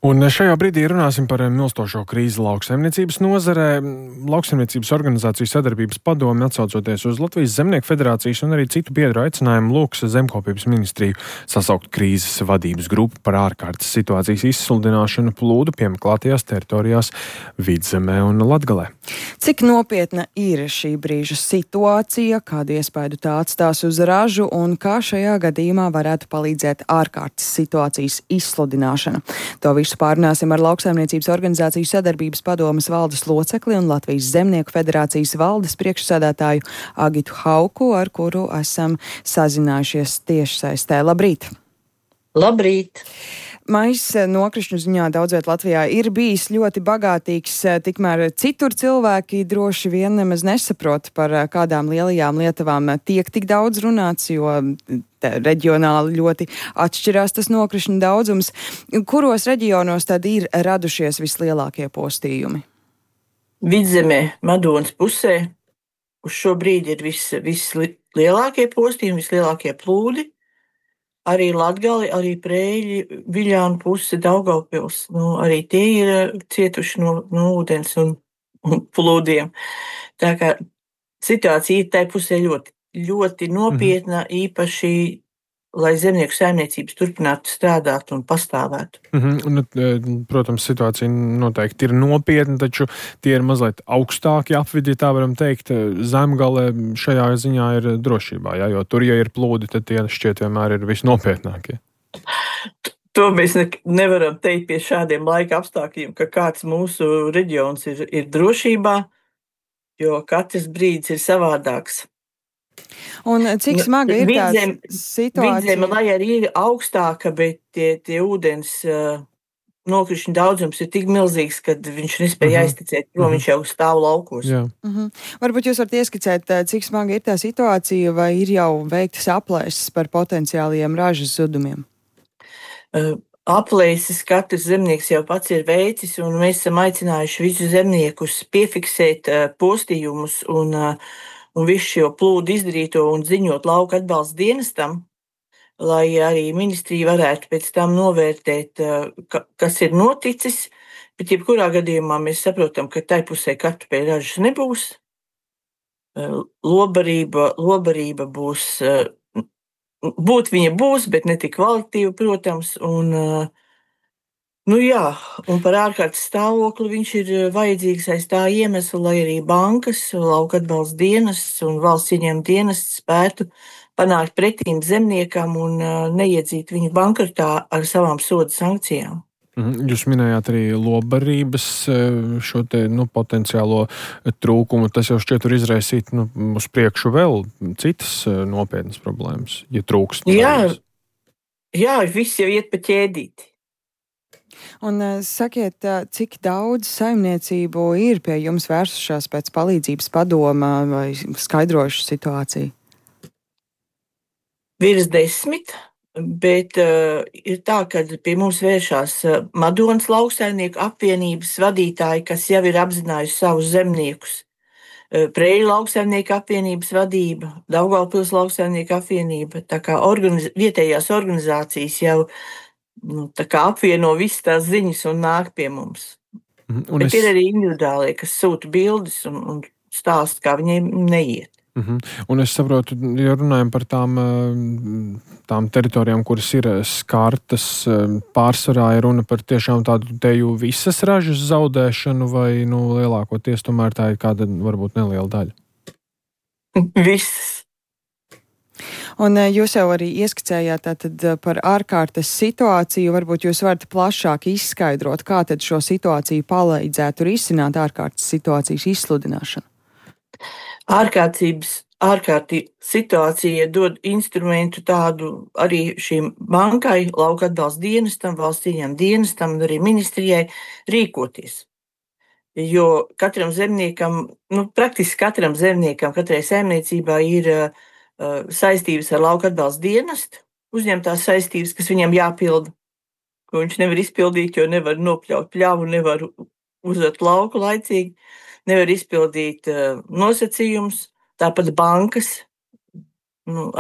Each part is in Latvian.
Un šajā brīdī runāsim par milstošo krīzi lauksaimniecības nozarē. Lauksaimniecības organizāciju sadarbības padome, atsaucoties uz Latvijas Zemnieku federācijas un arī citu biedru aicinājumu, lūgs Zemkopības ministriju sasaukt krīzes vadības grupu par ārkārtas situācijas izsludināšanu plūdu piemeklētajās teritorijās Vidzemē un Latgalē. Cik nopietna ir šī brīža situācija, kādu iespaidu tā atstās uz ražu un kā šajā gadījumā varētu palīdzēt ārkārtas situācijas izsludināšana? To visu pārunāsim ar Lauksaimniecības organizāciju sadarbības padomes valdes locekli un Latvijas Zemnieku federācijas valdes priekšsēdētāju Agitu Hauku, ar kuru esam sazinājušies tiešsaistē. Labrīt! Labrīt! Maijs nokrišņu ziņā daudz viet Latvijā ir bijis ļoti bagātīgs, tikmēr citur cilvēki droši vien nemaz nesaprot, par kādām lielajām lietavām tiek tik daudz runāts, jo reģionāli ļoti atšķirās tas nokrišņu daudzums. Kuros reģionos tad ir radušies vislielākie postījumi? Vidzemē, Madonas pusē, uz šo brīdi ir vislielākie postījumi, vislielākie plūdi. Arī Latgali, arī Preiļi, Viļānu puse, Daugavpils. Arī tie ir cietuši no ūdens un plūdiem. Tā kā situācija ir tai pusē ļoti nopietna, īpaši, lai zemnieku saimniecības turpinātu strādāt un pastāvētu. Protams, situācija noteikti ir nopietna, taču tie ir mazliet augstāki apvidi, tā varam teikt. Zemgale šajā ziņā ir drošībā, jo tur, ja ir plūdi, tad tie šķiet vienmēr ir visnopietnākie. To mēs nevaram teikt pie šādiem laika apstākļiem, ka kāds mūsu reģions ir drošībā, jo katrs brīdis ir savādāks. Un cik smaga ir tā situācija? Vidzeme, lai arī ir augstāka, bet tie ūdens nokrišņu daudzums ir tik milzīgs, ka viņš nespēja aizticēt, jo viņš jau stāv laukos. Varbūt jūs varat ieskicēt, cik smaga ir tā situācija, vai ir jau veiktas aplēses par potenciālajiem ražas zudumiem? Aplēses katrs zemnieks jau pats ir veicis, un mēs esam aicinājuši visus zemniekus piefiksēt postījumus un visu šo plūdu izdarīto un ziņot lauka atbalsta dienestam, lai arī ministrija varētu pēc tam novērtēt, kas ir noticis, bet jebkurā gadījumā mēs saprotam, ka tai pusē kartupeļu ražas nebūs. Lobarība būs, būt viņa būs, bet ne tik kvalitīva, protams, un par ārkārtas stāvokli viņš ir vajadzīgs aiz tā iemesla, lai arī bankas, lauka atbalsta dienests un valsts ieņēmuma dienests spētu panākt pretīm zemniekam un neiedzīt viņu bankrotā ar savām soda sankcijām. Jūs minējāt arī lobarības šo te potenciālo trūkumu. Tas jau šķiet var izraisīt uz priekšu vēl citas nopietnas problēmas, ja trūkst. Jā, viss jau iet pa ķēdīti. Un sakiet, cik daudz saimniecību ir pie jums vērsušās pēc palīdzības padoma vai skaidrojuši situāciju? Virs 10, bet ir tā, ka pie mums vēršās Madonas lauksaimnieku apvienības vadītāji, kas jau ir apzinājuši savus zemniekus. Preiļu lauksaimnieku apvienības vadība, Daugavpils lauksaimnieku apvienība, tā kā vietējās organizācijas jau tā kā apvieno visas tās ziņas un nāk pie mums. Bet ir arī individuālie, kas sūta bildes un stāsta, kā viņiem neiet. Un es saprotu, ja runājam par tām teritorijām, kuras ir skartas, pārsvarā ir runa par tiešām tādu teju visas ražas zaudēšanu vai lielākoties tomēr tā ir kāda varbūt neliela daļa? Visas. Un jūs jau arī ieskicējāt tātad par ārkārtas situāciju. Varbūt jūs varat plašāk izskaidrot, kā tad šo situāciju palīdzētu risināt ārkārtas situācijas izsludināšanu? Ārkārtas situācija dod instrumentu tādu arī šīm bankai, lauka atbalsta dienestam, valsts ieņēmuma dienestam un arī ministrijai rīkoties. Jo katram zemniekam, praktiski katram zemniekam, katrai saimniecībā ir saistības ar lauka atbalsta dienestu, uzņemtās saistības, kas viņam jāpilda, ko viņš nevar izpildīt, jo nevar nopļaut pļavu, nevar uzvert lauku laicīgi, nevar izpildīt nosacījumus, tāpat bankas,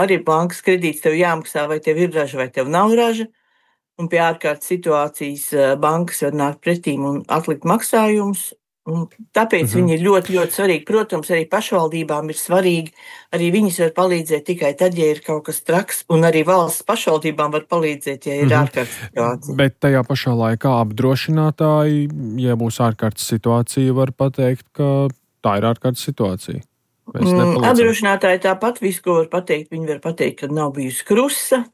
arī bankas kredīts tev jāmaksā, vai tev ir raža, vai tev nav raža, un pie ārkārtas situācijas bankas var nākt pretīm un atlikt maksājumus. Un tāpēc viņi ir ļoti, ļoti svarīgi. Protams, arī pašvaldībām ir svarīgi. Arī viņas var palīdzēt tikai tad, ja ir kaut kas traks, un arī valsts pašvaldībām var palīdzēt, ja ir ārkārtas situācija. Bet tajā pašā laikā apdrošinātāji, ja būs ārkārtas situācija, var pateikt, ka tā ir ārkārtas situācija. Apdrošinātāji tāpat visu, ko var pateikt. Viņi var pateikt, ka nav bijusi krusa,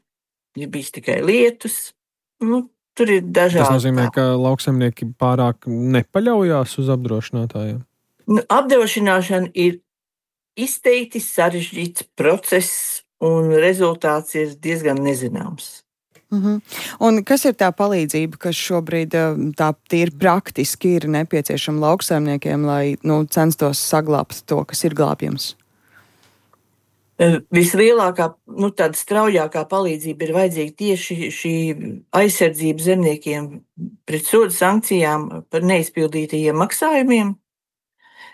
ir bijis tikai lietus. Tur ir dažādi. Tas nozīmē, ka lauksaimnieki pārāk nepaļaujās uz apdrošinātājiem? Apdrošināšana ir izteikti sarežģīts process, un rezultāts ir diezgan nezināms. Un kas ir tā palīdzība, kas šobrīd tā tīri praktiski ir nepieciešama lauksaimniekiem, lai censtos saglābt to, kas ir glābjams? Vislielākā, tāda straujākā palīdzība ir vajadzīga tieši šī aizsardzība zemniekiem pret sodu sankcijām par neizpildītajiem maksājumiem.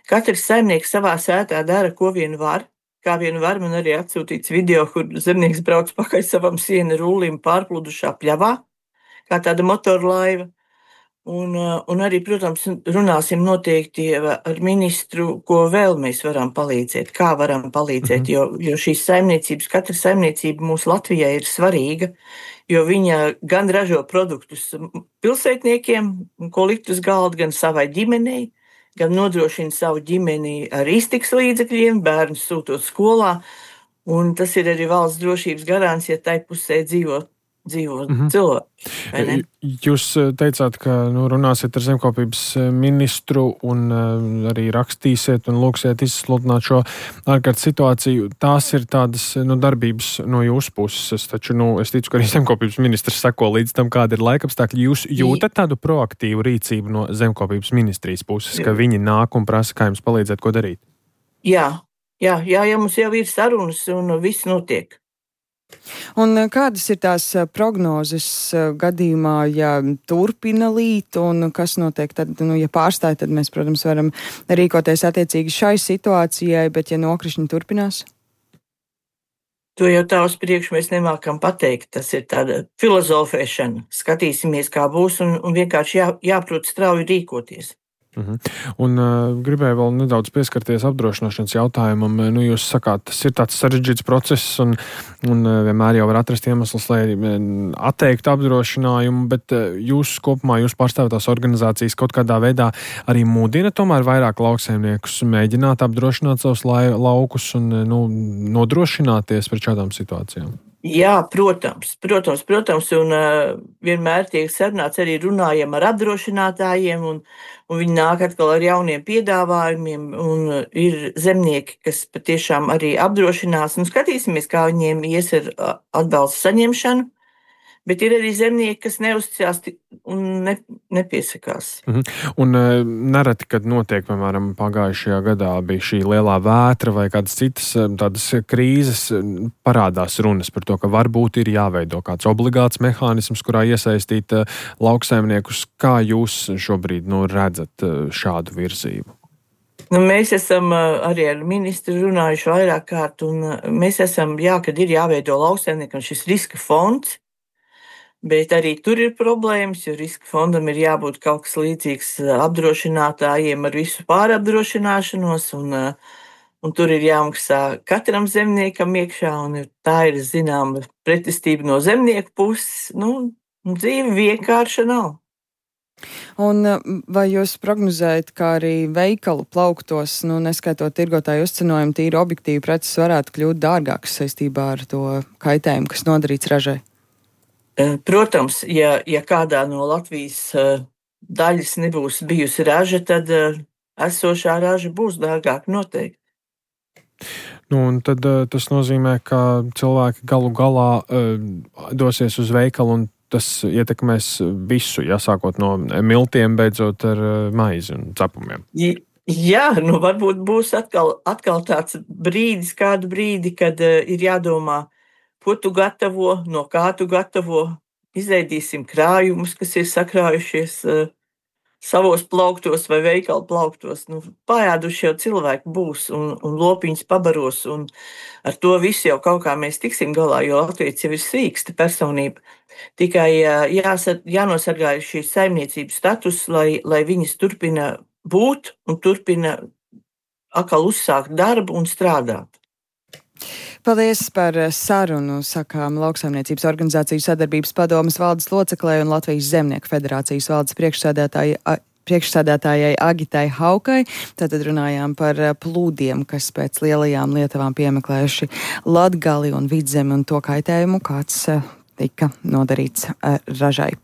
Katrs saimnieks savā sētā dara, ko vien var. Kā vien var, man arī atsūtīts video, kur zemnieks brauc pakaļ savam siena rullim pārpludušā pļavā, kā tāda motorlaiva. Un arī, protams, runāsim noteikti ar ministru, ko vēl mēs varam palīdzēt, kā varam palīdzēt, jo šīs saimniecības, katra saimniecība mūsu Latvijai ir svarīga, jo viņa gan ražo produktus pilsētniekiem, ko likt uz galda, gan savai ģimenei, gan nodrošina savu ģimeni ar iztikas līdzekļiem, bērnus sūtot skolā, un tas ir arī valsts drošības garants, ja tai pusē dzīvo cilvēki. Jūs teicāt, ka runāsiet ar zemkopības ministru un arī rakstīsiet un lūksiet izsludināt šo ārkārtas situāciju. Tās ir tādas darbības no jūsu puses, taču es ticu, ka arī zemkopības ministrs seko līdz tam, kāda ir laikapstākļi. Jūs jūtat tādu proaktīvu rīcību no zemkopības ministrijas puses, ka viņi nāk un prasa, kā jums palīdzēt, ko darīt? Jā, mums jau ir sarunas un viss notiek. Un kādas ir tās prognozes gadījumā, ja turpina līt, un kas notiek tad, ja pārstāj, tad mēs, protams, varam rīkoties attiecīgi šai situācijai, bet ja nokrišņi turpinās? To jau tā uz priekšu mēs nemākam pateikt. Tas ir tāda filozofēšana. Skatīsimies, kā būs, un vienkārši jāprot strauji rīkoties. Un gribēju vēl nedaudz pieskarties apdrošināšanas jautājumam. Jūs sakāt, tas ir tāds sarežģīts process un vienmēr jau var atrast iemeslus, lai atteiktu apdrošinājumu, bet jūs kopumā, jūs pārstāvētās organizācijas kaut kādā veidā arī mudina tomēr vairāk lauksaimniekus mēģināt apdrošināt savus laukus un nodrošināties pret šādām situācijām? Jā, protams, un vienmēr tiek sarunāts, arī runājam ar apdrošinātājiem, un viņi nāk atkal ar jauniem piedāvājumiem, un ir zemnieki, kas patiešām arī apdrošinās, un skatīsimies, kā viņiem ies ar atbalstu saņemšanu, bet ir arī zemnieki, kas neuzticās un nepiesakās. Un nereti, kad notiek, piemēram, pagājušajā gadā bija šī lielā vētra vai kādas citas tādas krīzes, parādās runas par to, ka varbūt ir jāveido kāds obligāts mehānisms, kurā iesaistīt lauksaimniekus. Kā jūs šobrīd redzat šādu virzību? Mēs esam arī ar ministru runājuši vairāk kārt, un mēs esam, kad ir jāveido lauksaimniekam šis riska fonds, bet arī tur ir problēmas, jo riska fondam ir jābūt kaut kas līdzīgs apdrošinātājiem ar visu pārapdrošināšanos, un tur ir jāmaksā katram zemniekam iekšā, un tā ir zināma pretestība no zemnieku puses. Dzīve vienkārša nav. Un vai jūs prognozējat, ka arī veikalu plauktos, neskaitot tirgotāju uzcenojumu, tīri objektīvi preces varētu kļūt dārgākas saistībā ar to kaitējumu, kas nodarīts ražai? Protams, ja kādā no Latvijas daļas nebūs bijusi raža, tad esošā raža būs dārgāka noteikti. Un tad tas nozīmē, ka cilvēki galu galā dosies uz veikalu un tas ietekmēs visu, sākot no miltiem, beidzot ar maizi un cepumiem. Jā, varbūt būs atkal tāds brīdis, kādu brīdi, kad ir jādomā, ko tu gatavo, no kā tu gatavo. Izveidīsim krājumus, kas ir sakrājušies savos plauktos vai veikalu plauktos. Pājāduši jau cilvēki būs un lopiņas pabaros, un ar to visu jau kaut kā mēs tiksim galā, jo Latvijas jau ir sīksta personība. Tikai jānosargā šīs saimniecības status, lai viņas turpina būt un turpina atkal uzsākt darbu un strādāt. Paldies par sarunu, sakām Lauksaimniecības organizāciju sadarbības padomes valdes loceklē un Latvijas Zemnieku federācijas valdes priekšsēdētājai Agitai Haukai. Tātad runājām par plūdiem, kas pēc lielajām lietavām piemeklējuši Latgali un Vidzemi un to kaitējumu, kāds tika nodarīts ražai.